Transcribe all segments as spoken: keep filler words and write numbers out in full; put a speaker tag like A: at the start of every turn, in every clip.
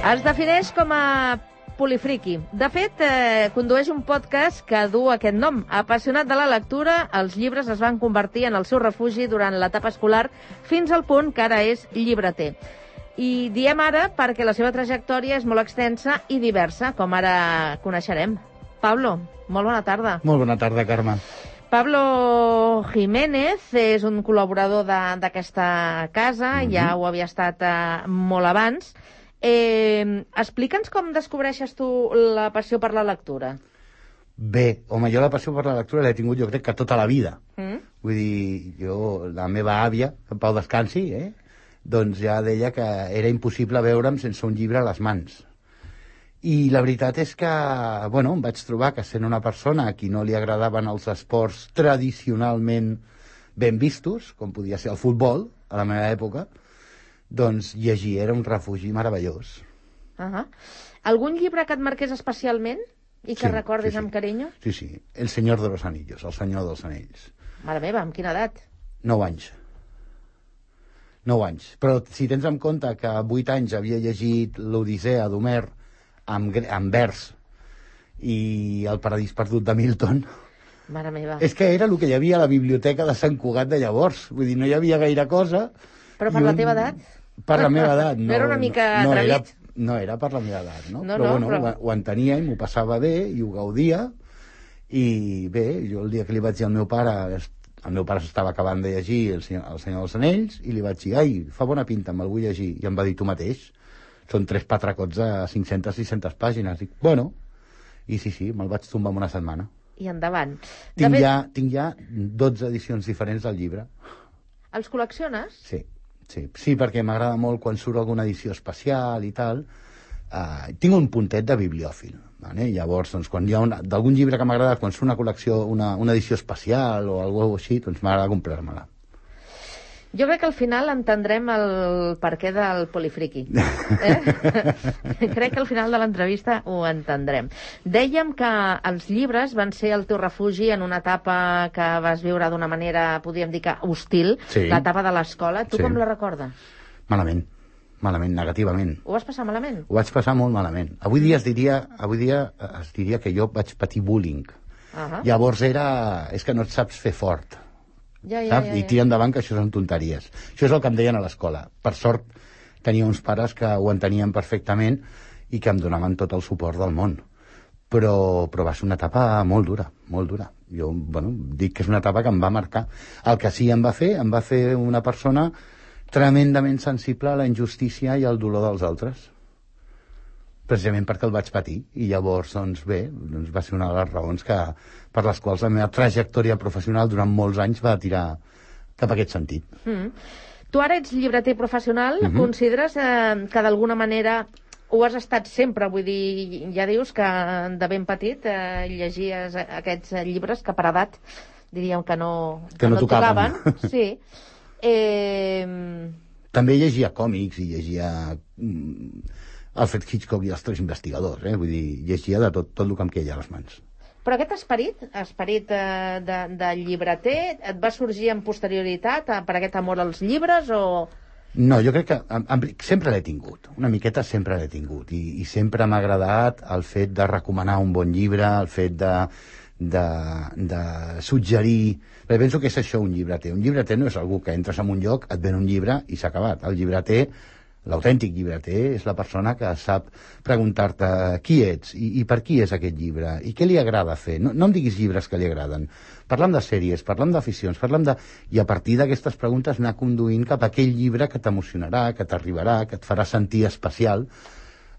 A: Es defineix com a polifriqui. De fet, eh, condueix un podcast que du aquest nom. Apassionat de la lectura, els llibres es van convertir en el seu refugi durant l'etapa escolar fins al punt que ara és llibreter. I diem ara perquè la seva trajectòria és molt extensa i diversa, com ara coneixerem. Pablo, molt bona tarda.
B: Molt bona tarda, Carme.
A: Pablo Jiménez és un col·laborador d'aquesta casa, mm-hmm. ja ho havia estat eh, molt abans. Eh, explica'ns com descobreixes tu la passió per la lectura.
B: Bé, home, jo la passió per la lectura l'he tingut jo crec que tota la vida.
A: Mm?
B: Vull dir, jo, la meva àvia, en Pau descansi, eh? doncs ja deia que era impossible veure'm sense un llibre a les mans. I la veritat és que, bueno, em vaig trobar que sent una persona a qui no li agradaven els esports tradicionalment ben vistos, com podia ser el futbol, a la meva època, doncs llegir era un refugi meravellós.
A: Uh-huh. Algun llibre que et marqués especialment i que
B: sí,
A: recordis
B: sí, sí.
A: amb carinyo?
B: Sí, sí, El Senyor de los Anillos, El Senyor dels Anells.
A: Mare meva, amb quina edat?
B: Nou anys. Nou anys. Però si tens en compte que a vuit anys havia llegit l'Odissea d'Homer amb, amb vers i El Paradís Perdut de Milton...
A: Mare meva.
B: És que era el que hi havia a la biblioteca de Sant Cugat de llavors. Vull dir, no hi havia gaire cosa...
A: Però per
B: un...
A: la teva edat?
B: Per la meva edat, no.
A: No era una mica
B: no, no, era,
A: atrevit?
B: no era per la meva edat, no?
A: no
B: però
A: no,
B: bueno,
A: però...
B: ho, ho entenia i m'ho passava bé i ho gaudia. I bé, jo el dia que li vaig dir al meu pare, el meu pare s'estava acabant de llegir El Senyor, el Senyor dels Anells, i li vaig dir, ai, fa bona pinta, me'l vull llegir. I em va dir, tu mateix, són tres patracots de cinc-centes a sis-centes pàgines. Dic, bueno, i sí, sí, me'l vaig tombar en una setmana.
A: I endavant.
B: Tinc,
A: fet...
B: ja, tinc ja dotze edicions diferents del llibre.
A: Els col·lecciones?
B: Sí. Sí, sí, perquè m'agrada molt quan surt alguna edició especial i tal. Uh, tinc un puntet de bibliòfil. Vale? Llavors, doncs, quan hi ha d'algun llibre que m'agrada, quan surt una col·lecció, una, una edició especial o alguna cosa així, doncs m'agrada comprar-me-la.
A: Jo crec que al final entendrem el perquè del polifriqui. Eh? Crec que al final de l'entrevista ho entendrem. Dèiem que els llibres van ser el teu refugi en una etapa que vas viure d'una manera, podríem dir que hostil,
B: sí.
A: L'etapa de l'escola. Tu
B: sí.
A: com la recordes?
B: Malament. Malament, negativament.
A: Ho vas passar malament?
B: Ho vaig passar molt malament. Avui dia es diria, avui dia es diria que jo vaig patir bullying. Uh-huh. Llavors era... És que no et saps fer fort.
A: Ja, ja, ja, ja.
B: I tira endavant que això són tonteries. Això és el que em deien a l'escola. Per sort tenia uns pares que ho entenien perfectament i que em donaven tot el suport del món. Però, però va ser una etapa molt dura, molt dura. Jo, bueno, dic que és una etapa que em va marcar. El que sí em va fer, em va fer una persona tremendament sensible a la injustícia i al dolor dels altres. Precisament perquè el vaig patir. I llavors, doncs bé, doncs va ser una de les raons que, per les quals la meva trajectòria professional durant molts anys va tirar cap a aquest sentit.
A: Mm. Tu ara ets llibreter professional,
B: mm-hmm.
A: consideres eh, que d'alguna manera ho has estat sempre? Vull dir, ja dius que de ben petit eh, llegies aquests llibres que per edat diríem que no,
B: que que no, no tocaven.
A: tocaven. Sí. Eh...
B: També llegia còmics i llegia... Alfred Hitchcock i els tres investigadors, eh? Vull dir, llegia de tot, tot el que em queia a les mans.
A: Però aquest esperit, esperit eh, de, de llibreter, et va sorgir en posterioritat eh, per aquest amor als llibres o...?
B: No, jo crec que en, en, sempre l'he tingut, una miqueta sempre l'he tingut, i, i sempre m'ha agradat el fet de recomanar un bon llibre, el fet de, de, de suggerir... Perquè penso que és això un llibreter. Un llibreter no és algú que entres en un lloc, et ven un llibre i s'ha acabat. El llibreter... L'autèntic llibreter és la persona que sap preguntar-te qui ets i, i per qui és aquest llibre i què li agrada fer. No, no em diguis llibres que li agraden. Parlem de sèries, parlem d'aficions, parlem de... I a partir d'aquestes preguntes anar conduint cap a aquell llibre que t'emocionarà, que t'arribarà, que et farà sentir especial.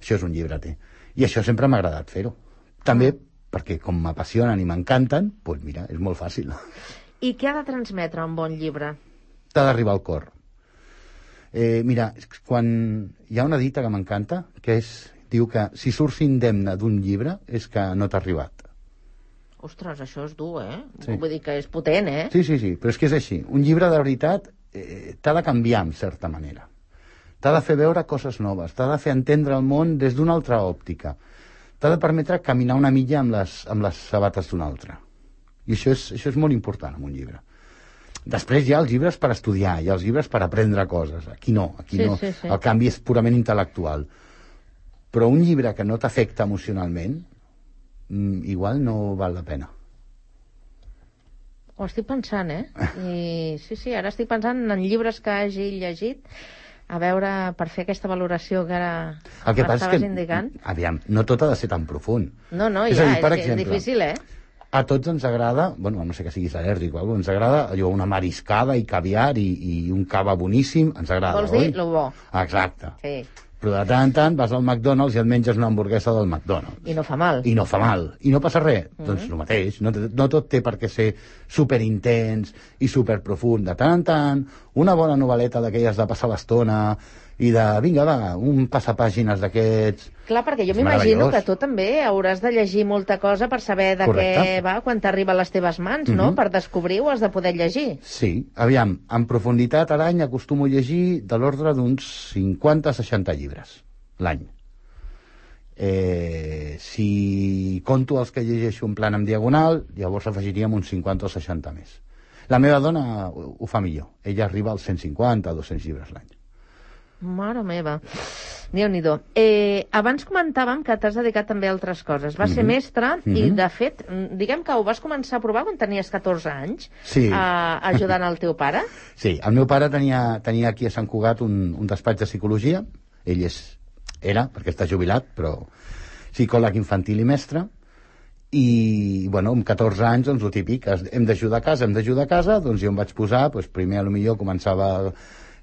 B: Això és un llibreter. I això sempre m'ha agradat fer-ho. També perquè com m'apassionen i m'encanten, doncs mira, és molt fàcil.
A: I què ha de transmetre un bon llibre?
B: T'ha d'arribar al cor. Eh, mira, quan hi ha una dita que m'encanta, que és, diu que si surts indemne d'un llibre és que no t'ha arribat.
A: Ostres, això és dur, eh?
B: Sí.
A: Vull dir que és potent, eh?
B: Sí, sí, sí, però és que és així. Un llibre de veritat eh, t'ha de canviar, en certa manera. T'ha de fer veure coses noves, t'ha de fer entendre el món des d'una altra òptica. T'ha de permetre caminar una milla amb les, amb les sabates d'una altra. I això és, això és molt important en un llibre. Després hi ha els llibres per estudiar, hi ha els llibres per aprendre coses. Aquí no, aquí
A: sí,
B: no.
A: Sí, sí.
B: El canvi és purament intel·lectual. Però un llibre que no t'afecta emocionalment, igual no val la pena.
A: Ho estic pensant, eh? I sí, sí, ara estic pensant en llibres que hagi llegit, a veure, per fer aquesta valoració que ara
B: el que passa és que,
A: indicant.
B: Aviam, no tot ha de ser tan profund.
A: No, no,
B: és
A: ja,
B: dir, per
A: és,
B: exemple,
A: és difícil, eh?
B: A tots ens agrada, bueno, no sé que siguis al·lèrgic o alguna cosa, ens agrada allò, una mariscada i caviar i, i un cava boníssim, ens agrada,
A: Vols dir
B: oi?
A: lo bo.
B: Exacte.
A: Sí.
B: Però de tant en tant vas al McDonald's i et menges una hamburguesa del McDonald's.
A: I no fa mal.
B: I no fa mal. I no passa res. Mm-hmm. Doncs el mateix. No, no tot té per què ser superintens i superprofund. De tant en tant, una bona novel·leta d'aquelles de passar l'estona i de, vinga, va, un passapàgines d'aquests...
A: Clar, perquè jo m'imagino que tu també hauràs de llegir molta cosa per saber de
B: Correcte.
A: què va quan t'arriba a les teves mans, no?
B: Mm-hmm.
A: Per descobrir ho has de poder llegir.
B: Sí. Aviam, en profunditat a l'any acostumo a llegir de l'ordre d'uns cinquanta a seixanta llibres l'any. Eh, si conto els que llegeixo en plan en diagonal, llavors afegiríem uns cinquanta o seixanta més. La meva dona ho, ho fa millor. Ella arriba als cent cinquanta a dos-cents llibres l'any.
A: Mare meva. Déu-n'hi-do. Eh, abans comentàvem que t'has dedicat també a altres coses. Vas mm-hmm. ser mestre mm-hmm. i, de fet, diguem que ho vas començar a provar quan tenies catorze anys,
B: sí.
A: eh, ajudant el teu pare.
B: Sí, el meu pare tenia, tenia aquí a Sant Cugat un, un despatx de psicologia. Ell és, era, perquè està jubilat, però psicòleg infantil i mestre. I, bueno, amb catorze anys, doncs, el típic, hem d'ajudar a casa, hem d'ajudar a casa, doncs jo em vaig posar, doncs, primer, potser començava...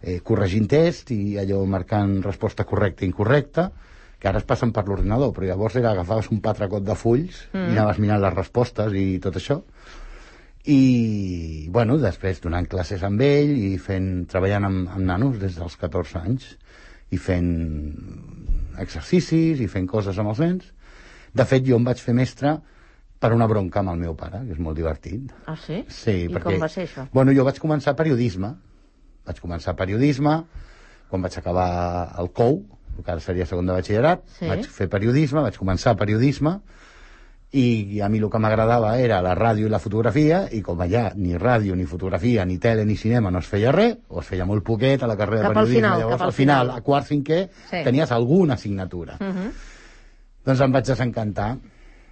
B: Eh, corregint test i allò marcant resposta correcta i incorrecta, que ara es passen per l'ordinador, però llavors era agafaves un patracot de fulls mm. i anaves mirant les respostes i tot això. I, bueno, després donant classes amb ell i fent, treballant amb, amb nanos des dels catorze anys i fent exercicis i fent coses amb els nens. De fet, jo em vaig fer mestre per una bronca amb el meu pare, que és molt divertit.
A: Ah, sí?
B: Sí,
A: I
B: perquè,
A: com va ser això?
B: Bueno, jo vaig començar periodisme. Vaig començar periodisme, quan vaig acabar el C O U, el que ara seria segon de batxillerat, sí. Vaig fer periodisme, vaig començar periodisme, i a mi el que m'agradava era la ràdio i la fotografia, i com allà ni ràdio, ni fotografia, ni tele, ni cinema no es feia res, o es feia molt poquet a la carrera
A: cap
B: de periodisme,
A: final,
B: llavors
A: al
B: al final,
A: final,
B: a quart cinquè, sí. Tenies alguna assignatura. Uh -huh. Doncs em vaig desencantar,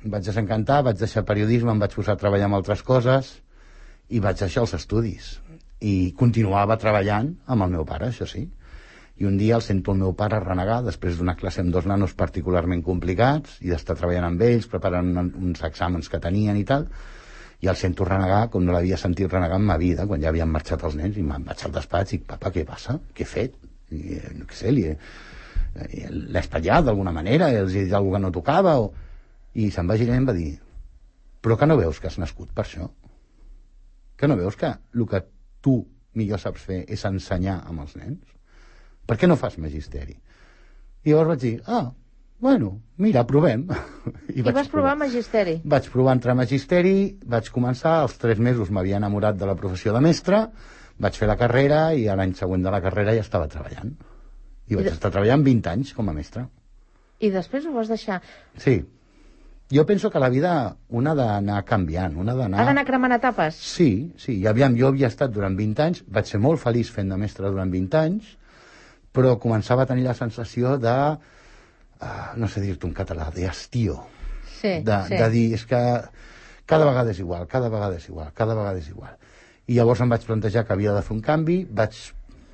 B: em vaig desencantar, vaig deixar periodisme, em vaig posar a treballar amb altres coses, i vaig deixar els estudis. I continuava treballant amb el meu pare, això sí. I un dia el sento el meu pare renegar, després d'una classe amb dos nanos particularment complicats, i d'estar treballant amb ells, preparant uns exàmens que tenien i tal, i el sento renegar com no l'havia sentit renegar en ma vida, quan ja havien marxat els nens, i me'n vaig al despatx i dic, papa, què passa? Què he fet? I, no què sé, l'he espatllat d'alguna manera, els he dit alguna que no tocava, o... i se'n va girar i em va dir, però que no veus que has nascut per això? Que no veus que el que tu millor saps fer és ensenyar amb els nens? Per què no fas magisteri? I llavors vaig dir, ah, bueno, mira, provem.
A: I, I vas provar, provar magisteri?
B: Vaig provar entrar a magisteri, vaig començar, als tres mesos m'havia enamorat de la professió de mestre, vaig fer la carrera i a l'any següent de la carrera ja estava treballant. I vaig I de... estar treballant vint anys com a mestre.
A: I després ho vas deixar?
B: Sí. Jo penso que la vida una ha d'anar canviant, una ha d'anar...
A: Ha d'anar cremant etapes?
B: Sí, sí. I aviam, jo havia estat durant vint anys, vaig ser molt feliç fent de mestre durant vint anys, però començava a tenir la sensació de, uh, no sé dir-te en català, d'estiu.
A: Sí,
B: de,
A: sí.
B: De dir, és que cada vegada és igual, cada vegada és igual, cada vegada és igual. I llavors em vaig plantejar que havia de fer un canvi, vaig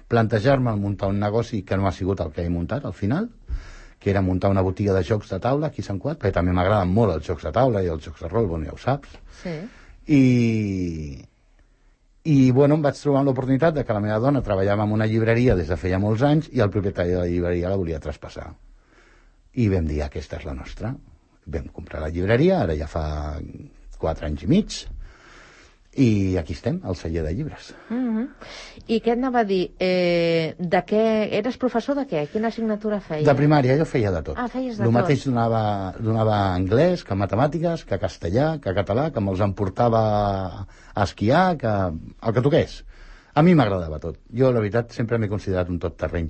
B: plantejar-me muntar un negoci que no ha sigut el que he muntat al final, que era muntar una botiga de jocs de taula aquí a Sant Cugat, perquè també m'agraden molt els jocs de taula i els jocs de rol, bueno, ja ho saps.
A: Sí.
B: I, i bueno, em vaig trobar amb l'oportunitat de que la meva dona treballava en una llibreria des de feia molts anys i el propietari de la llibreria la volia traspassar. I vam dir, aquesta és la nostra. Vam comprar la llibreria, ara ja fa quatre anys i mig, i aquí estem, al celler de llibres.
A: Mm-hmm. I què et anava a dir? Eh, de què... Eres professor de què? Quina assignatura feies?
B: De primària, jo feia de tot.
A: Ah, feies de
B: tot. El
A: tot.
B: mateix donava, donava anglès, que matemàtiques, que castellà, que català, que me'ls emportava a esquiar, que el que toqués. A mi m'agradava tot. Jo, la veritat, sempre m'he considerat un tot terreny.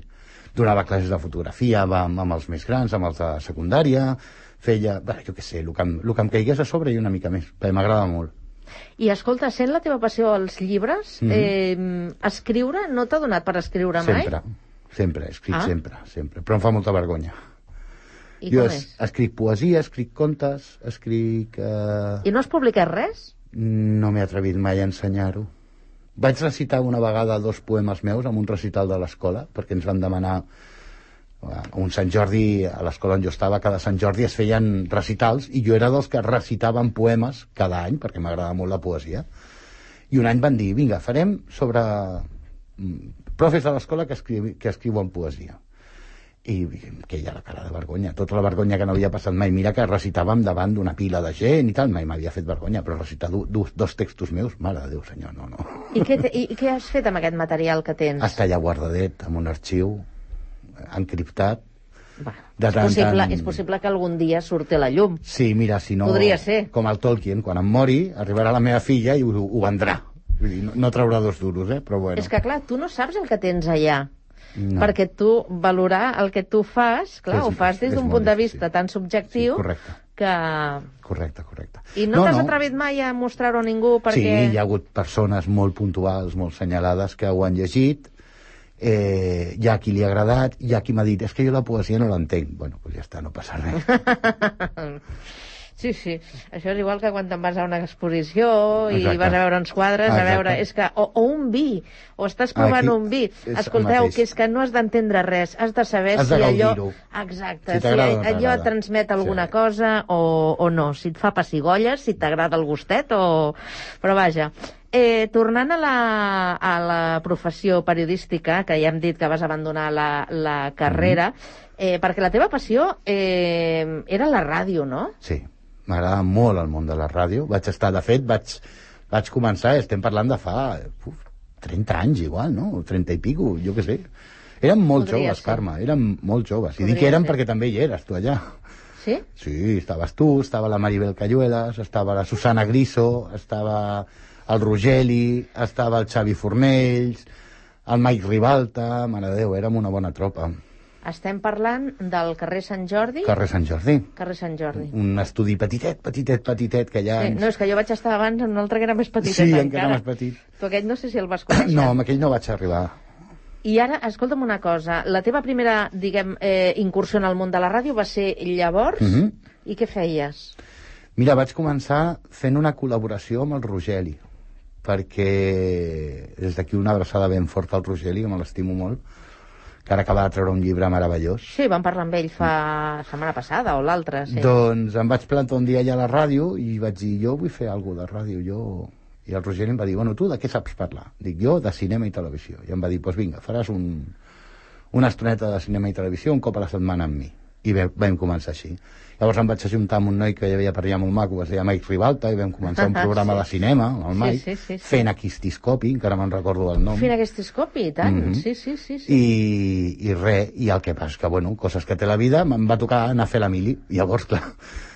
B: Donava classes de fotografia amb, amb els més grans, amb els de secundària, feia, bé, jo què sé, el que, em, el que em caigués a sobre i una mica més, perquè m'agrada molt.
A: I escolta, sent la teva passió als llibres, mm-hmm. eh, escriure no t'ha donat per escriure mai?
B: Sempre, sempre, he escrit
A: ah.
B: sempre, sempre, però em fa molta vergonya.
A: I
B: jo
A: com
B: es,
A: és?
B: escric poesia, escric contes, escric... Eh...
A: I no has publicat res?
B: No m'he atrevit mai a ensenyar-ho. Vaig recitar una vegada dos poemes meus en un recital de l'escola, perquè ens van demanar un Sant Jordi, a l'escola on jo estava, cada Sant Jordi es feien recitals, i jo era dels que recitaven poemes cada any, perquè m'agradava molt la poesia. I un any van dir, vinga, farem sobre profes de l'escola que, escriu, que escriuen poesia. I que hi ha la cara de vergonya, tota la vergonya que no havia passat mai. Mira que recitàvem davant d'una pila de gent i tal, mai m'havia fet vergonya, però recitar do, do, dos textos meus, mare de Déu, senyor, no, no.
A: I què, te, I què has fet amb aquest material que tens?
B: Està allà guardadet, en un arxiu, encriptat.
A: Va,
B: de
A: és,
B: tant,
A: possible,
B: tant...
A: és possible que algun dia surti a la llum.
B: Sí, mira, si no...
A: Podria ser.
B: Com el Tolkien, quan em mori, arribarà la meva filla i ho, ho vendrà. Vull dir, no, no traurà dos duros, eh? Però bueno.
A: És que, clar, tu no saps el que tens allà.
B: No.
A: Perquè tu valorar el que tu fas, clar,
B: És,
A: ho fas des d'un punt de vista tan subjectiu,
B: sí, correcte.
A: que...
B: Correcte, correcte.
A: I no, no t'has
B: no.
A: atrevit mai a mostrar-ho a ningú perquè...
B: Sí, hi ha hagut persones molt puntuals, molt senyalades, que ho han llegit, eh, hi ha qui li ha agradat, hi ha qui m'ha dit, és que jo la poesia no l'entenc. Bueno, doncs ja està, no passa res.
A: Sí, sí. Això és igual que quan te'n vas a una exposició i
B: Exacte.
A: vas a veure uns quadres,
B: Exacte.
A: a veure... És que, o, o un vi, o estàs provant
B: Aquí
A: un vi.
B: és
A: Escolteu,
B: el
A: que és que no has d'entendre res, has de saber
B: Has de
A: si allò...
B: gaudir-ho.
A: Exacte,
B: Si
A: si,
B: t'agrada o no
A: allò
B: t'agrada.
A: et transmet alguna
B: Sí.
A: cosa o, o no, si et fa pessigolles, si t'agrada el gustet o... Però vaja, eh, tornant a la, a la professió periodística, que ja hem dit que vas abandonar la, la carrera, mm-hmm. eh, perquè la teva passió eh, era la ràdio, no?
B: Sí. M'agrada molt el món de la ràdio. Vaig estar, de fet, vaig, vaig començar, estem parlant de fa uf, trenta anys igual, no? trenta i pico, jo què sé. Érem molt
A: Podria
B: joves,
A: ser.
B: Carme, érem molt joves. I
A: Podria
B: dic que érem
A: ser.
B: perquè també hi eres, tu allà.
A: Sí?
B: Sí, estaves tu, estava la Maribel Cayuelas, estava la Susana Griso, estava el Rogeli, estava el Xavi Fornells, el Mike Ribalta, mare de Déu, érem una bona tropa.
A: Estem parlant del carrer Sant Jordi?
B: Carrer Sant Jordi.
A: Carrer Sant Jordi.
B: Un estudi petitet, petitet, petitet, que allà...
A: Sí,
B: ens...
A: no, és que jo vaig estar abans en un altre que era més petitet
B: Sí,
A: encara.
B: encara més petit.
A: Tu aquell no sé si el vas conèixer.
B: No, amb aquell no vaig arribar.
A: I ara, escolta'm una cosa, la teva primera, diguem, eh, incursió en el món de la ràdio va ser llavors?
B: Mhm.
A: I què feies?
B: Mira, vaig començar fent una col·laboració amb el Rogeli, perquè des d'aquí una abraçada ben forta al Rogeli, que me l'estimo molt, que ara acaba de treure un llibre meravellós.
A: Sí, vam parlar amb ell fa setmana passada o l'altra, sí.
B: Doncs em vaig plantar un dia allà a la ràdio i vaig dir, jo vull fer alguna de ràdio, jo... I el Rogeli em va dir, bueno, tu de què saps parlar? Dic, jo de cinema i televisió. I em va dir, doncs pues vinga, faràs un, una estoneta de cinema i televisió un cop a la setmana amb mi. I vam, vam començar així. Llavors em vaig ajuntar amb un noi que hi havia per allà molt maco, es deia Mike Ribalta, i vam començar un programa
A: Sí.
B: de cinema, amb el
A: Sí,
B: Mike,
A: sí, sí, sí.
B: fent Aquistiscopi, encara me'n recordo del nom.
A: Fent aquest escopi, i tant.
B: Mhm.
A: Sí, sí, sí. sí.
B: I, i res, i el que passa és que, bueno, coses que té la vida, em va tocar anar a fer la mili. I llavors, clar,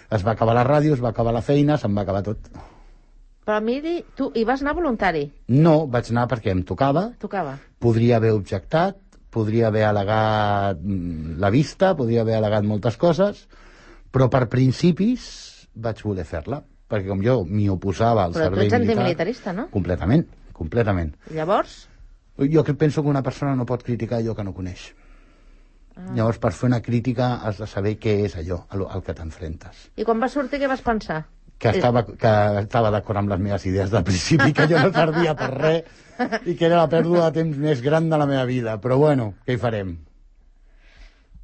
B: es va acabar la ràdio, es va acabar la feina, se'm va acabar tot.
A: Però miri, tu hi vas anar voluntari?
B: No, vaig anar perquè em tocava,
A: Tocava.
B: podria haver objectat, podria haver al·legat mm, la vista, podria haver al·legat moltes coses, però per principis vaig voler fer-la, perquè com jo m'hi oposava al
A: Però tu
B: servei
A: ets
B: militar...
A: antimilitarista, no?
B: Completament, completament.
A: Llavors?
B: Jo que penso que una persona no pot criticar allò que no coneix. Ah. Llavors, per fer una crítica has de saber què és allò al, al que t'enfrentes.
A: I quan vas sortir, què vas pensar?
B: Que estava, que estava d'acord amb les meves idees del principi, que jo no servia per res i que era la pèrdua de temps més gran de la meva vida. Però bueno, què hi farem?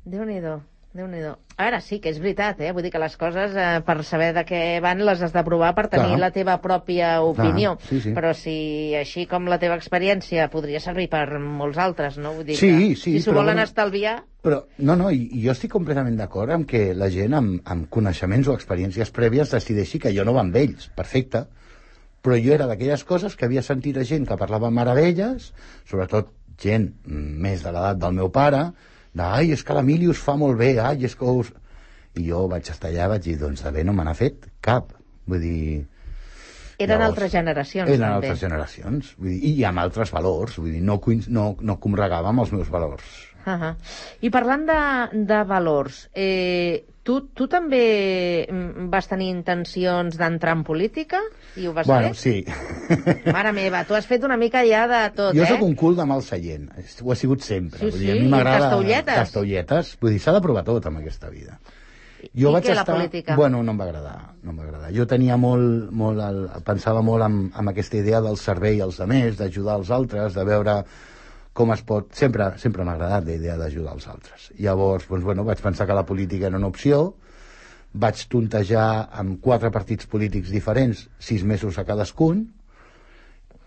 A: Déu-n'hi-do, Déu-n'hi-do. Ara sí que és veritat, eh? Vull dir que les coses, eh, per saber de què van, les has de provar per tenir
B: Clar.
A: la teva pròpia opinió.
B: Clar, sí, sí.
A: Però si així com la teva experiència podria servir per molts altres, no? Vull dir
B: Sí,
A: que
B: sí,
A: si s'ho
B: però
A: volen
B: bueno,
A: estalviar...
B: Però, no, no, i, i jo estic completament d'acord amb que la gent amb, amb coneixements o experiències prèvies decideixi que jo no va amb ells, perfecte. Però jo era d'aquelles coses que havia sentit a gent que parlava meravelles, sobretot gent més de l'edat del meu pare, de, ai, és que l'Emili us fa molt bé, ai, és que us... I jo vaig estar allà, vaig dir, doncs de bé no me n'ha fet cap. Vull dir...
A: Eren
B: Llavors,
A: altres generacions,
B: eren
A: també.
B: altres generacions, vull dir, i amb altres valors, vull dir, no, coinc- no, no comregava amb els meus valors.
A: Uh -huh. I parlant de, de valors, eh, tu, tu també mm, vas tenir intencions d'entrar en política? I ho vas
B: Bueno,
A: fer?
B: sí.
A: Mare meva, tu has fet una mica ja de tot,
B: Jo
A: eh?
B: sóc un cul de mal seient, ho he sigut sempre.
A: Sí,
B: Vull dir,
A: sí,
B: a mi
A: i
B: m'agrada
A: tastaolletes.
B: tastaolletes. Vull dir, s'ha de provar tot amb aquesta vida. Jo
A: I
B: vaig
A: què,
B: estar...
A: la política?
B: Bueno, no em va agradar, no em va agradar. Jo tenia molt, molt el... pensava molt amb, amb aquesta idea del servei als altres, d'ajudar els altres, de veure com es pot... Sempre, sempre m'ha agradat la idea d'ajudar els altres. Llavors, doncs, bueno, vaig pensar que la política era una opció, vaig tontejar amb quatre partits polítics diferents, sis mesos a cadascun,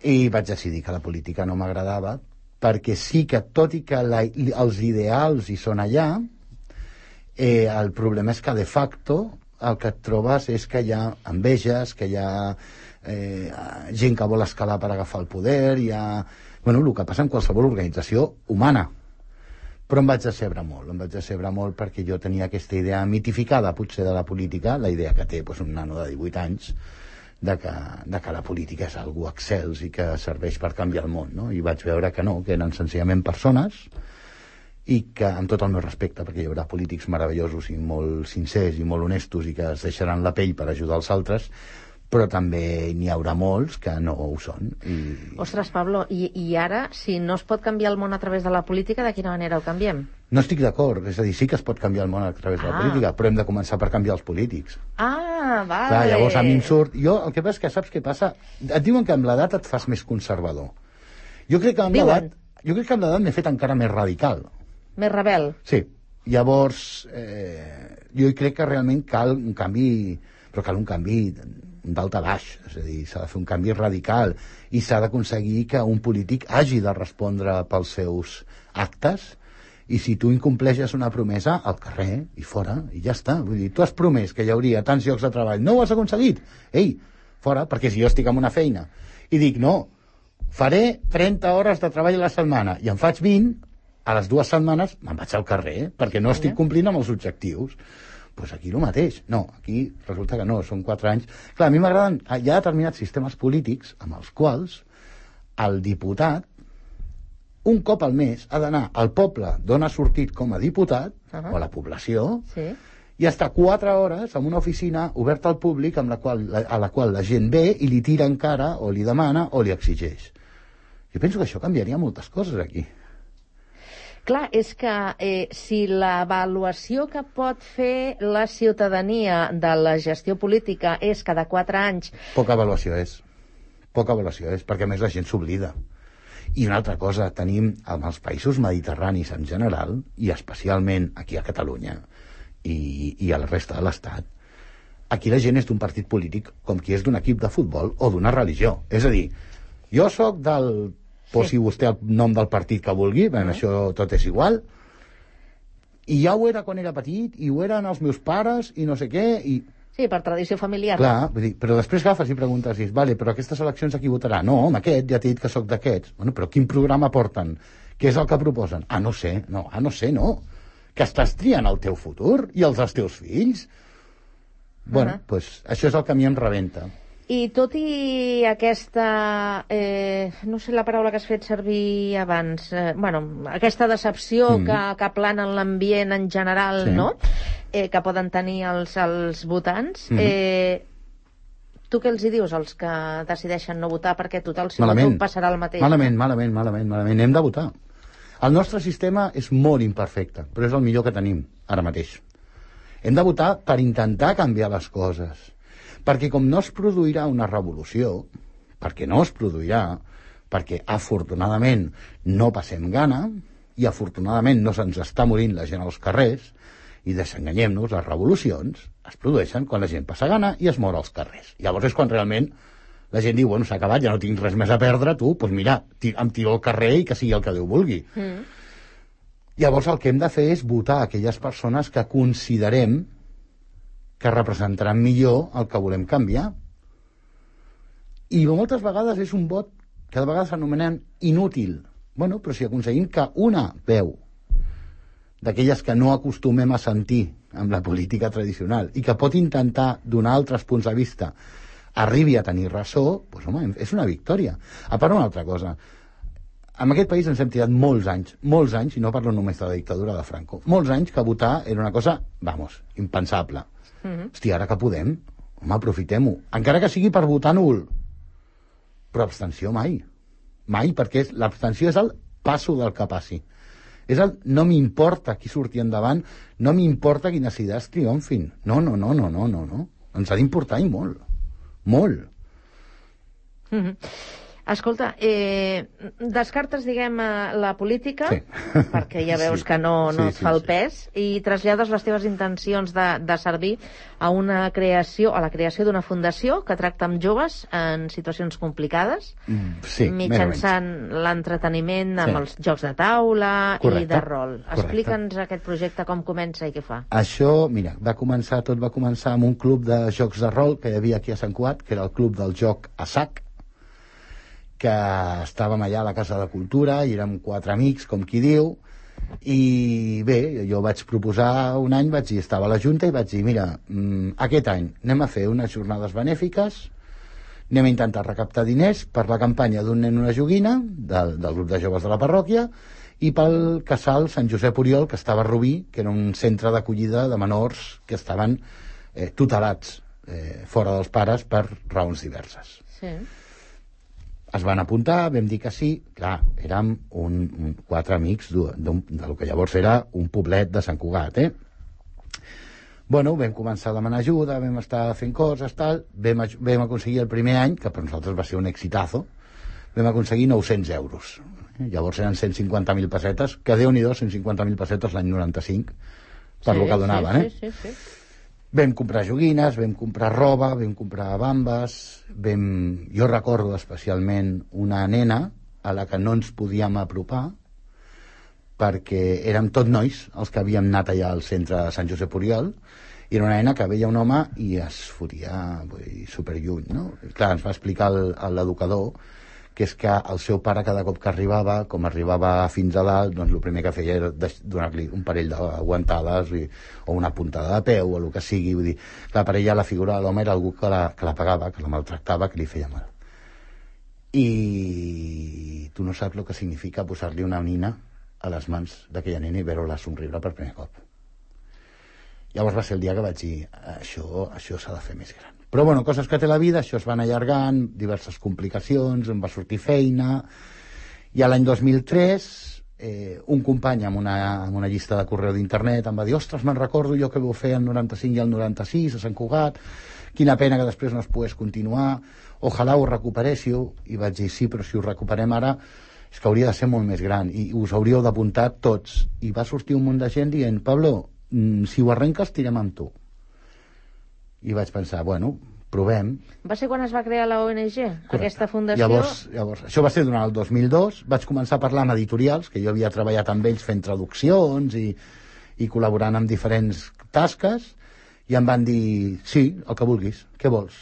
B: i vaig decidir que la política no m'agradava, perquè sí que, tot i que la, els ideals hi són allà, eh, el problema és que de facto el que et trobes és que hi ha enveges, que hi ha eh, gent que vol escalar per agafar el poder, hi ha... Bueno, el que passa en qualsevol organització humana. Però em vaig decebre molt, em vaig decebre molt perquè jo tenia aquesta idea mitificada, potser, de la política, la idea que té pues, un nano de divuit anys, de que, de que la política és algú excels i que serveix per canviar el món, no? I vaig veure que no, que eren senzillament persones i que, amb tot el meu respecte, perquè hi haurà polítics meravellosos i molt sincers i molt honestos i que es deixaran la pell per ajudar els altres, però també n'hi haurà molts que no ho són. I...
A: Ostres, Pablo, i, i ara, si no es pot canviar el món a través de la política, de quina manera el canviem?
B: No estic d'acord, és a dir, sí que es pot canviar el món a través de la
A: Ah.
B: política, però hem de començar per canviar els polítics.
A: Ah, vale.
B: Clar, llavors a mi em surt... Jo, el que passa és que saps què passa? Et diuen que amb l'edat et fas més conservador. Jo crec que amb
A: Diuen.
B: l'edat... Jo crec que amb l'edat m'he fet encara més radical.
A: Més rebel.
B: Sí. Llavors, eh, jo hi crec que realment cal un canvi... Però cal un canvi dalt a baix. És a dir, s'ha de fer un canvi radical i s'ha d'aconseguir que un polític hagi de respondre pels seus actes, i si tu incompleixes una promesa, al carrer i fora, i ja està. Vull dir, tu has promès que hi hauria tants llocs de treball, no ho has aconseguit? Ei, fora, perquè si jo estic en una feina i dic, no, faré trenta hores de treball a la setmana i en faig vint, a les dues setmanes me'n vaig al carrer, perquè no estic complint amb els objectius. Doncs pues aquí el mateix. No, aquí resulta que no, són quatre anys. Clar, a mi m'agraden, hi ha determinats sistemes polítics amb els quals el diputat un cop al mes ha d'anar al poble d'on ha sortit com a diputat, uh-huh. o a la població,
A: sí.
B: i estar quatre hores en una oficina oberta al públic amb la qual, a la qual la gent ve i li tira encara, o li demana, o li exigeix. Jo penso que això canviaria moltes coses aquí.
A: Clar, és que eh, si l'avaluació que pot fer la ciutadania de la gestió política és cada quatre anys...
B: Poca avaluació és. Poca avaluació és, perquè a més la gent s'oblida. I una altra cosa, tenim amb els països mediterranis en general, i especialment aquí a Catalunya i, i a la resta de l'Estat, aquí la gent és d'un partit polític com qui és d'un equip de futbol o d'una religió. És a dir, jo sóc del... Posi sí. vostè el nom del partit que vulgui, ben, uh-huh. això tot és igual, i ja ho era quan era petit, i ho eren els meus pares, i no sé què, i...
A: Sí, per tradició familiar.
B: Clar, vull dir, però després agafes i preguntes, dius, vale, però aquestes eleccions a qui votarà? No, amb aquest, ja t'he dit que sóc d'aquests. Bueno, però quin programa porten? Què és el que proposen? Ah, no sé, no, ah, no sé, no. Que estàs triant el teu futur i els dels teus fills? Bueno, doncs uh-huh. pues, això és el que a mi em rebenta.
A: I tot i aquesta, eh, no sé la paraula que has fet servir abans, eh, bueno, aquesta decepció mm. que, que plana en l'ambient en general, sí. no?, eh, que poden tenir els, els votants, mm. eh, tu què els hi dius als que decideixen no votar? Perquè total, si
B: malament.
A: voto passarà el mateix.
B: Malament, malament, malament, malament. Hem de votar. El nostre sistema és molt imperfecte, però és el millor que tenim ara mateix. Hem de votar per intentar canviar les coses. Perquè com no es produirà una revolució, perquè no es produirà, perquè afortunadament no passem gana, i afortunadament no se'ns està morint la gent als carrers, i desenganyem-nos, les revolucions es produeixen quan la gent passa gana i es mor als carrers. Llavors és quan realment la gent diu, bueno, s'ha acabat, ja no tinc res més a perdre, tu, doncs mira, em tiro al carrer i que sigui el que Déu vulgui. Mm. Llavors el que hem de fer és votar aquelles persones que considerem que representaran millor el que volem canviar. I moltes vegades és un vot que de vegades s'anomenen inútil. Bueno, però si aconseguim que una veu d'aquelles que no acostumem a sentir amb la política tradicional i que pot intentar donar altres punts de vista arribi a tenir ressò, doncs, home, és una victòria. A part, una altra cosa. En aquest país ens hem tirat molts anys, molts anys, i no parlo només de la dictadura de Franco, molts anys que votar era una cosa, vamos, impensable. Uh-huh. Hòstia, ara que podem, home, aprofitem-ho. Encara que sigui per votar nul. Però abstenció mai. Mai, perquè l'abstenció és el passo del que passi. És el no m'importa qui surti endavant, no m'importa quines idees triomfin. No, no, no, no, no, no, no. Ens ha d'importar i molt. Molt.
A: Mm-hmm. Escolta, eh, descartes, diguem, la política,
B: sí.
A: perquè ja veus sí. que no, no sí, et fa sí, el pes, sí. i trasllades les teves intencions de, de servir a una creació, a la creació d'una fundació que tracta amb joves en situacions complicades,
B: sí,
A: mitjançant l'entreteniment amb sí. els jocs de taula Correcte. I de rol. Explica'ns aquest projecte, com comença i què fa.
B: Això, mira, va començar, tot va començar amb un club de jocs de rol que hi havia aquí a Sant Cugat, que era el club del joc a sac, que estàvem allà a la Casa de Cultura i érem quatre amics, com qui diu, i bé, jo vaig proposar un any, vaig dir, estava a la Junta i vaig dir, mira, mmm, aquest any anem a fer unes jornades benèfiques, anem a intentar recaptar diners per la campanya d'un nen una joguina, del, del grup de joves de la parròquia, i pel casal Sant Josep Oriol, que estava a Rubí, que era un centre d'acollida de menors que estaven eh, tutelats eh, fora dels pares per raons diverses.
A: Sí.
B: Es van apuntar, vam dir que sí, clar, érem un, un, quatre amics del que llavors era un poblet de Sant Cugat, eh? Bueno, vam començar a demanar ajuda, vam estar fent coses, tal, vam, vam aconseguir el primer any, que per nosaltres va ser un exitazo, vam aconseguir nou-cents euros. Llavors eren cent cinquanta mil pessetes, que Déu-n'hi-do, cent cinquanta mil pessetes l'any noranta-cinc, per sí, lo que donaven,
A: sí,
B: eh?
A: Sí, sí, sí.
B: Vam comprar joguines, vam comprar roba, vam comprar bambes, vam... jo recordo especialment una nena a la que no ens podíem apropar perquè érem tot nois els que havíem anat allà al centre de Sant Josep Oriol, i era una nena que veia un home i es fotia vull dir, superlluny, no? I clar, ens va explicar l'educador que és que el seu pare cada cop que arribava, com arribava fins a dalt, doncs el primer que feia era donar-li un parell d'aguantades o una puntada de peu o el que sigui. Vull dir, clar, per ella la figura de l'home era algú que la, que la pagava, que la maltractava, que li feia mal. I tu no saps el que significa posar-li una nina a les mans d'aquella nena i veure-la somriure per primer cop. Llavors va ser el dia que vaig dir això, això s'ha de fer més gran. Però bueno, coses que té la vida, això es van allargant, diverses complicacions, em va sortir feina, i a l'any dos mil tres eh, un company amb una, amb una llista de correu d'internet em va dir, ostres, me'n recordo jo que vau fer el noranta-cinc i el noranta-sis a Sant Cugat, quina pena que després no es pogués continuar, ojalà ho recuperéssiu, i vaig dir, sí, però si ho recuperem ara és que hauria de ser molt més gran, i us hauríeu d'apuntar tots, i va sortir un munt de gent dient, Pablo, si ho arrenques tirem amb tu. I vaig pensar, bueno, provem.
A: Va ser quan es va crear la O N G, Correcte. Aquesta fundació?
B: Llavors, llavors, això va ser durant el dos mil dos, vaig començar a parlar amb editorials, que jo havia treballat amb ells fent traduccions i, i col·laborant amb diferents tasques, i em van dir, sí, el que vulguis, què vols?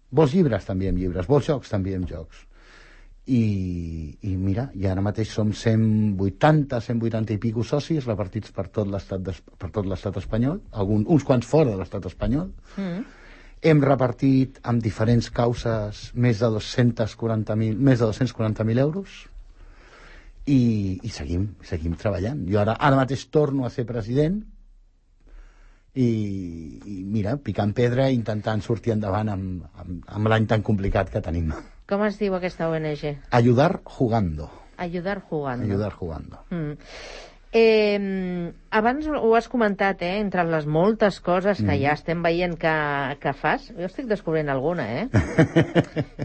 B: Vols llibres? També amb llibres. Vols jocs? També amb jocs. I, i mira, i ara mateix som cent vuitanta, cent vuitanta i pico socis repartits per tot l'estat per tot l'estat espanyol, algun, uns quants fora de l'estat espanyol. Mm. Hem repartit amb diferents causes més de dos-cents quaranta mil més de dos-cents quaranta mil euros i, i seguim, seguim treballant. Jo ara, ara mateix torno a ser president i, i mira, picant pedra, intentant sortir endavant amb, amb, amb l'any tan complicat que tenim.
A: Com es diu aquesta O N G?
B: Ayudar jugando.
A: Ayudar jugando.
B: Ayudar jugando.
A: Mm. Eh, abans ho has comentat, eh, entre les moltes coses que mm. ja estem veient que, que fas. Jo estic descobrint alguna, eh?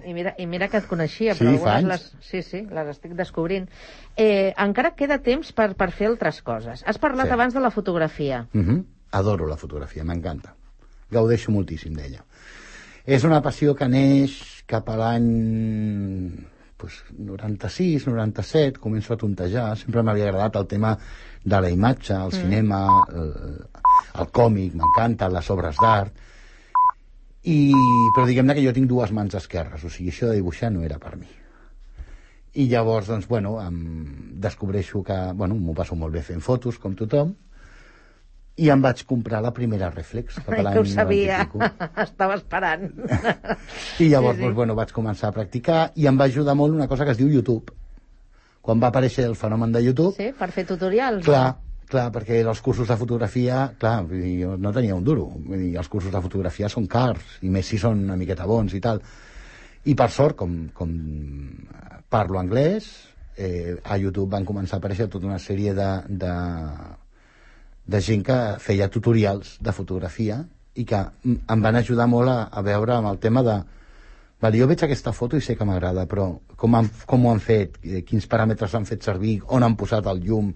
A: I mira, i mira que et coneixia,
B: sí,
A: però algunes les, sí, sí, les estic descobrint. Eh, encara queda temps per, per fer altres coses. Has parlat sí. abans de la fotografia.
B: Mm-hmm. Adoro la fotografia, m'encanta. Gaudeixo moltíssim d'ella. És una passió que neix cap a l'any pues, noranta-sis, noranta-set, començo a tontejar. Sempre m'havia agradat el tema de la imatge, el mm. cinema, el, el còmic, m'encanta, les obres d'art. I, però diguem-ne que jo tinc dues mans esquerres, o sigui, això de dibuixar no era per mi. I llavors, doncs, bueno, em descobreixo que, bueno, m'ho passo molt bé fent fotos, com tothom, i em vaig comprar la primera Reflex.
A: Ai, que ho sabia, estava esperant.
B: I llavors, sí, sí. Doncs, bueno, vaig començar a practicar i em va ajudar molt una cosa que es diu YouTube. Quan va aparèixer el fenomen de YouTube...
A: Sí, per fer tutorials.
B: Clar, no? Clar, perquè els cursos de fotografia, clar, vull dir, jo no tenia un duro. Vull dir, els cursos de fotografia són cars, i més si són una miqueta bons i tal. I per sort, com, com parlo anglès, eh, a YouTube van començar a aparèixer tota una sèrie de, de, de gent que feia tutorials de fotografia i que em van ajudar molt a, a veure amb el tema de vale, jo veig aquesta foto i sé que m'agrada, però com, han, com ho han fet, eh, quins paràmetres han fet servir, on han posat el llum,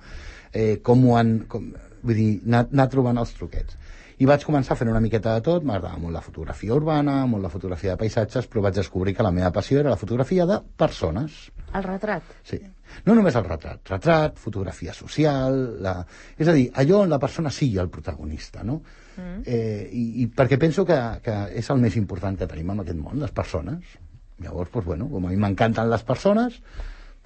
B: eh, com ho han... Com, vull dir, anar, anar trobant els truquets. I vaig començar fent una miqueta de tot, m'agradava molt la fotografia urbana, molt la fotografia de paisatges, però vaig descobrir que la meva passió era la fotografia de persones.
A: El retrat?
B: Sí. No només el retrat. Retrat, fotografia social... La... És a dir, allò on la persona sigui el protagonista, no? Mm. Eh, i, I perquè penso que, que és el més important que tenim en aquest món, les persones. Llavors, doncs, bueno, com a mi m'encanten les persones,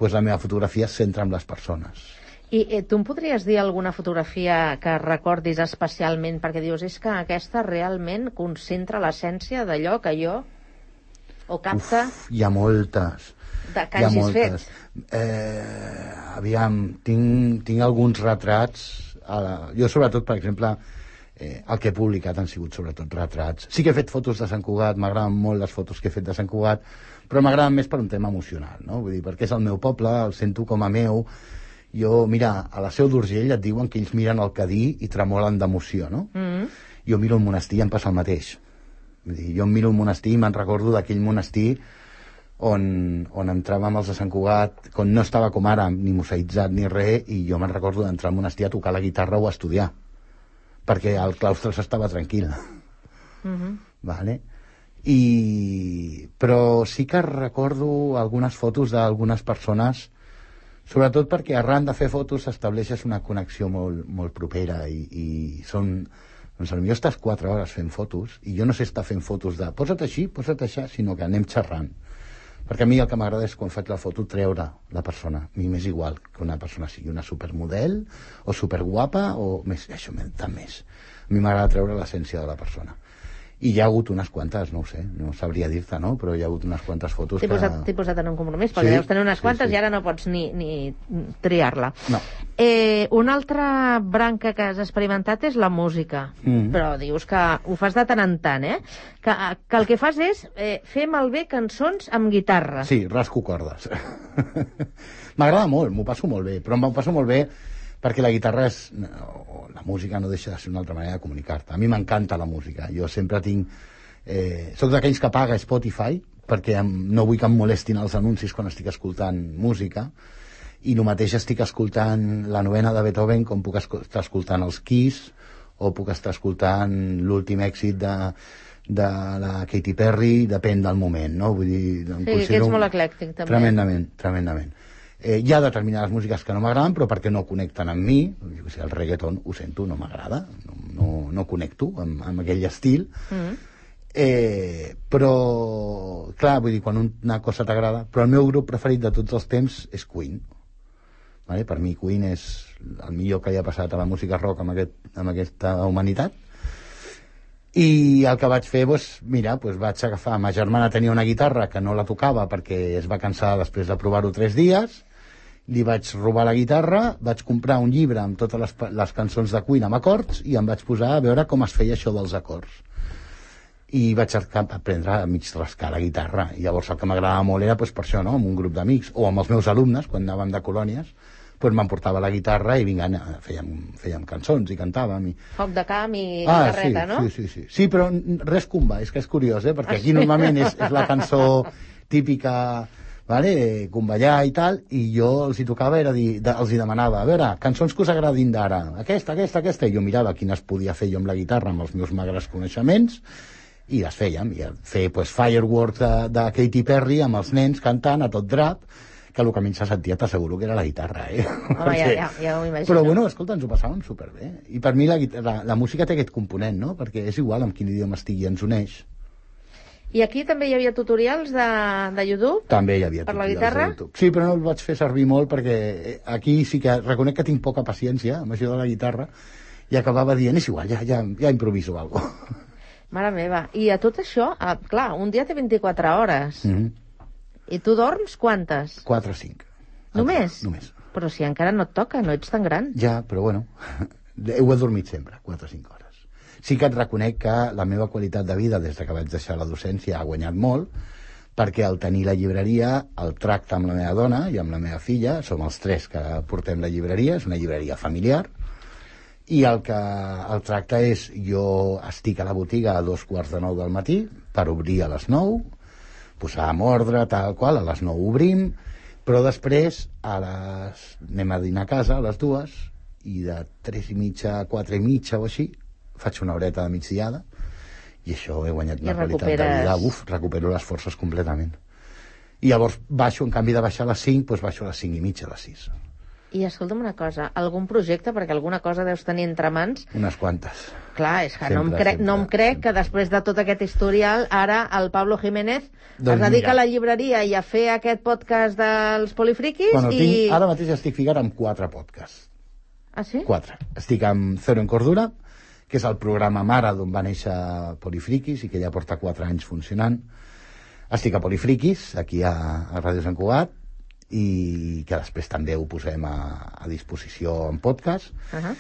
B: doncs la meva fotografia es centra en les persones.
A: I eh, tu em podries dir alguna fotografia que recordis especialment, perquè dius, és que aquesta realment concentra l'essència d'allò que jo o capta...
B: Uf, hi ha moltes.
A: De que hagis fet.
B: Eh, aviam, tinc, tinc alguns retrats. A la... Jo, sobretot, per exemple, eh, el que he publicat han sigut sobretot retrats. Sí que he fet fotos de Sant Cugat, m'agraden molt les fotos que he fet de Sant Cugat, però m'agraden més per un tema emocional, no? Vull dir, perquè és el meu poble, el sento com a meu. Jo, mira, a la Seu d'Urgell et diuen que ells miren el Cadí i tremolen d'emoció, no? Mm. Jo miro el monestir i em passa el mateix. Vull dir, jo em miro el monestir i me'n recordo d'aquell monestir on, on entràvem els de Sant Cugat, quan no estava com ara, ni museïtzat ni res, i jo me'n recordo d'entrar al monestir a tocar la guitarra o a estudiar, perquè el claustre s'estava tranquil. Mm-hmm. Vale? I... Però sí que recordo algunes fotos d'algunes persones, sobretot perquè arran de fer fotos s'estableixes una connexió molt, molt propera i, i són... Doncs potser estàs quatre hores fent fotos i jo no sé estar fent fotos de posa't així, posa't així, sinó que anem xerrant. Perquè a mi el que m'agrada és quan faig la foto treure la persona. A mi m'és igual que una persona sigui una supermodel o superguapa o més, això tant més. A mi m'agrada treure l'essència de la persona. I hi ha hagut unes quantes, no ho sé, no sabria dir-te, no? Però hi ha hagut unes quantes fotos
A: que... T'he posat en un compromís, perquè sí, deus tenir unes quantes sí, sí. I ara no pots ni, ni triar-la.
B: No.
A: Eh, una altra branca que has experimentat és la música, mm. però dius que ho fas de tant en tant, eh? Que, que el que fas és eh, fer malbé cançons amb guitarra.
B: Sí, rasco cordes. M'agrada molt, m'ho passo molt bé, però m'ho passo molt bé perquè la guitarra és... o la música no deixa de ser una altra manera de comunicar-te. A mi m'encanta la música. Jo sempre tinc... Eh, soc d'aquells que paga Spotify perquè em, no vull que em molestin els anuncis quan estic escoltant música, i el mateix estic escoltant la novena de Beethoven com puc estar escoltant els Kiss o puc estar escoltant l'últim èxit de, de la Katy Perry, depèn del moment, no? Vull dir...
A: Sí, que ets molt eclèctic, també.
B: Tremendament, tremendament. Eh, hi ha determinades músiques que no m'agraden, però perquè no connecten amb mi. Jo que sé, el reggaeton, ho sento, no m'agrada, no, no, no connecto amb, amb aquell estil. Mm. Eh, però, clar, vull dir, quan una cosa t'agrada... Però el meu grup preferit de tots els temps és Queen. Vale? Per mi Queen és el millor que hi ha passat a la música rock amb, aquest, amb aquesta humanitat. I el que vaig fer, doncs, mira, doncs vaig agafar... Ma germana tenia una guitarra que no la tocava perquè es va cansar després de provar-ho tres dies. Li vaig robar la guitarra, vaig comprar un llibre amb totes les, les cançons de Queen amb acords i em vaig posar a veure com es feia això dels acords. I vaig aprendre a mig rascar la guitarra. I llavors el que m'agradava molt era doncs, per això, no? Amb un grup d'amics o amb els meus alumnes, quan anàvem de colònies, doncs m'emportava la guitarra i vinga, fèiem, fèiem cançons i cantàvem. I...
A: Foc de camp i
B: ah,
A: guitarreta,
B: sí,
A: no?
B: Sí, sí, sí. Sí, però res comba, és que és curiós, eh? Perquè aquí normalment és, és la cançó típica, vale? Comballar i tal, i jo els hi tocava, era dir, de, els hi demanava, a veure, cançons que us agradin d'ara, aquesta, aquesta, aquesta, i jo mirava quines podia fer jo amb la guitarra, amb els meus magres coneixements, i les fèiem, i fer pues, Fireworks de, de Katy Perry amb els nens cantant a tot drap, que el que a mi se sentia t'asseguro que era la guitarra, eh?
A: Home, Perquè... ja, ja, ja ho imagino.
B: Però bueno, escolta, ens ho passàvem superbé. I per mi la, la, la música té aquest component, no? Perquè és igual amb quin idioma estigui, ens uneix.
A: I aquí també hi havia tutorials de, de YouTube?
B: També hi havia
A: per
B: tutorials
A: la guitarra?
B: de YouTube. Sí, però no el vaig fer servir molt perquè aquí sí que reconec que tinc poca paciència amb això de la guitarra i acabava dient, és igual, ja, ja, ja improviso alguna cosa.
A: Mare meva, i a tot això, ah, clar, un dia té vint-i-quatre hores. Mm-hmm. I tu dorms quantes?
B: Quatre o cinc.
A: Només?
B: Només.
A: Però si encara no et toca, no ets tan gran.
B: Ja, però bueno, ho he dormit sempre, quatre o cinc hores. Sí que et reconec que la meva qualitat de vida, des que vaig deixar la docència, ha guanyat molt, perquè al tenir la llibreria el tracte amb la meva dona i amb la meva filla, som els tres que portem la llibreria, és una llibreria familiar, i el que el tracte és, jo estic a la botiga a dos quarts de nou del matí per obrir a les nou, posar en ordre, tal qual, a les nou obrim, però després a les... anem a dinar a casa a les dues, i de tres i mitja a quatre i mitja o així faig una horeta de migdiada, i això he guanyat una qualitat de vida. Uf, recupero les forces completament. I llavors baixo, en canvi de baixar a les cinc, doncs baixo a les cinc i mitja, a les sis.
A: I escolta'm una cosa, algun projecte, perquè alguna cosa deus tenir entre mans?
B: Unes quantes.
A: Clar, és que
B: sempre,
A: no, em crec,
B: sempre,
A: no em crec
B: sempre.
A: que després de tot aquest historial, ara el Pablo Jiménez
B: doncs
A: es dedica
B: mira.
A: a la llibreria i a fer aquest podcast dels Polifriquis.
B: Bueno,
A: i...
B: tinc, ara mateix estic ficat amb quatre podcasts.
A: Ah, sí?
B: Quatre. Estic amb Cero en Cordura, que és el programa mare d'on va néixer Polifriquis i que ja porta quatre anys funcionant. Estic a Polifriquis, aquí a, a Ràdio Sant Cugat, i que després també ho posem a, a disposició en podcast.
A: Uh -huh.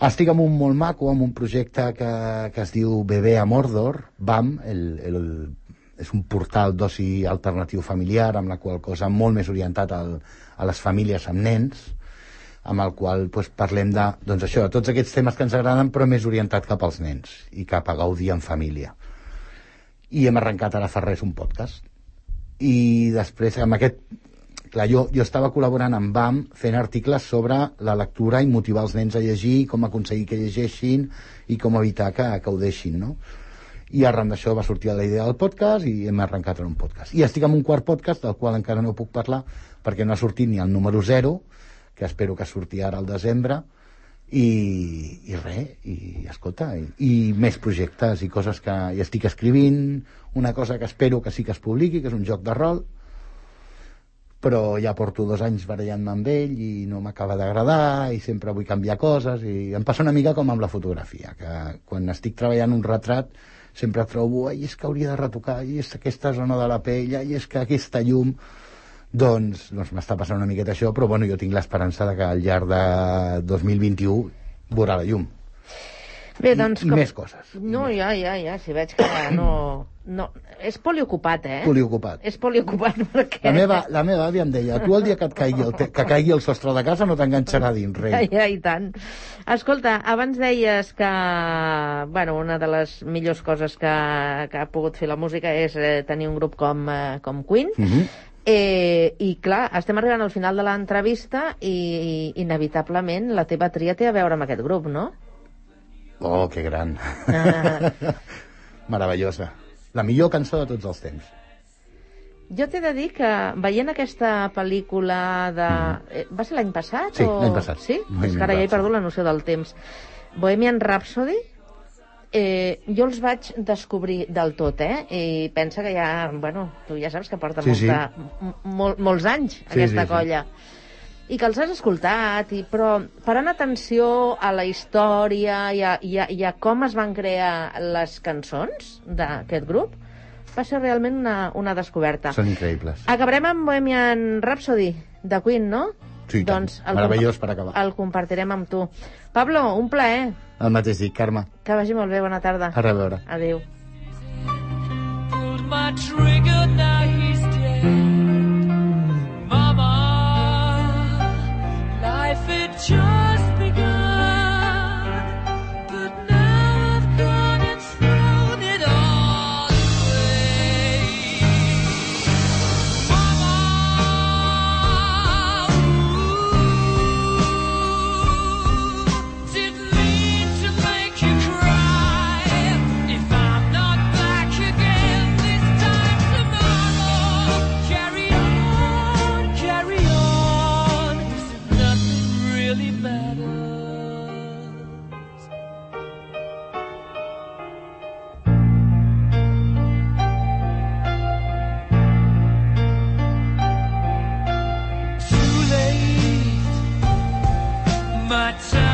B: Estic amb un molt maco, amb un projecte que, que es diu Bebé a Mordor, B A M, el, el, és un portal d'oci alternatiu familiar, amb la qual cosa molt més orientat al, a les famílies amb nens, amb el qual doncs, parlem de, doncs això, de tots aquests temes que ens agraden, però més orientat cap als nens i cap a gaudir en família. I hem arrencat ara fa res un podcast. I després, amb aquest... Clar, jo, jo estava col·laborant amb B A M fent articles sobre la lectura i motivar els nens a llegir, com aconseguir que llegeixin i com evitar que, que ho deixin, no? I arran d'això va sortir la idea del podcast i hem arrencat en un podcast. I estic en un quart podcast, del qual encara no puc parlar, perquè no ha sortit ni el número zero, que espero que surti ara al desembre, i, i res, i escolta, i, i més projectes i coses que hi estic escrivint, una cosa que espero que sí que es publiqui, que és un joc de rol, però ja porto dos anys barallant-me amb ell i no m'acaba d'agradar i sempre vull canviar coses, i em passa una mica com amb la fotografia, que quan estic treballant un retrat sempre trobo, ai, és que hauria de retocar, i és aquesta zona de la pell, i és que aquesta llum... Doncs, doncs m'està passant una miqueta això, però bueno, jo tinc l'esperança de que al llarg de dos mil vint-i-u veurà la llum.
A: Bé, doncs...
B: I, i
A: com...
B: més coses.
A: No, ja, ja, ja, si veig que no... no... És poliocupat, eh?
B: Poliocupat.
A: És poliocupat perquè...
B: La meva, la meva àvia em deia, tu el dia que et caigui el, te... que caigui el sostre de casa no t'enganxarà dins, rei.
A: Ja, ja, i tant. Escolta, abans deies que, bueno, una de les millors coses que, que ha pogut fer la música és eh, tenir un grup com, eh, com Queen. Mhm. Mm Eh, I clar, estem arribant al final de l'entrevista i, i inevitablement la teva tria té a veure amb aquest grup, no?
B: Oh, que gran.
A: Ah.
B: Meravellosa. La millor cançó de tots els temps.
A: Jo t'he de dir que veient aquesta pel·lícula de... Mm. Eh, va ser l'any passat?
B: Sí,
A: o...
B: l'any passat.
A: Sí? És que ara ja he perdut la noció del temps. Bohemian Rhapsody, Eh, jo els vaig descobrir del tot, eh? I pensa que ja, bueno, tu ja saps que porta
B: sí,
A: molta,
B: sí.
A: Mol, molts anys
B: sí,
A: aquesta
B: sí,
A: colla. Sí. I que els has escoltat, i, però parant atenció a la història i a, i, a, i a com es van crear les cançons d'aquest grup, va ser realment una, una descoberta.
B: Són increïbles.
A: Acabarem amb Bohemian Rhapsody, de Queen, no?
B: Sí,
A: doncs el
B: meravellós per acabar.
A: El compartirem amb tu. Pablo, un plaer.
B: El mateix dic, Carme.
A: Que vagi molt bé, bona tarda.
B: A reveure.
A: Adéu.
C: Pulled my trigger, now he's dead. Mama, life had just begun, but now I've gone and thrown it all away. Mama, ooh, didn't mean to make you cry. If I'm not back again this time tomorrow, carry on, carry on, as if nothing really matters. Too late, my time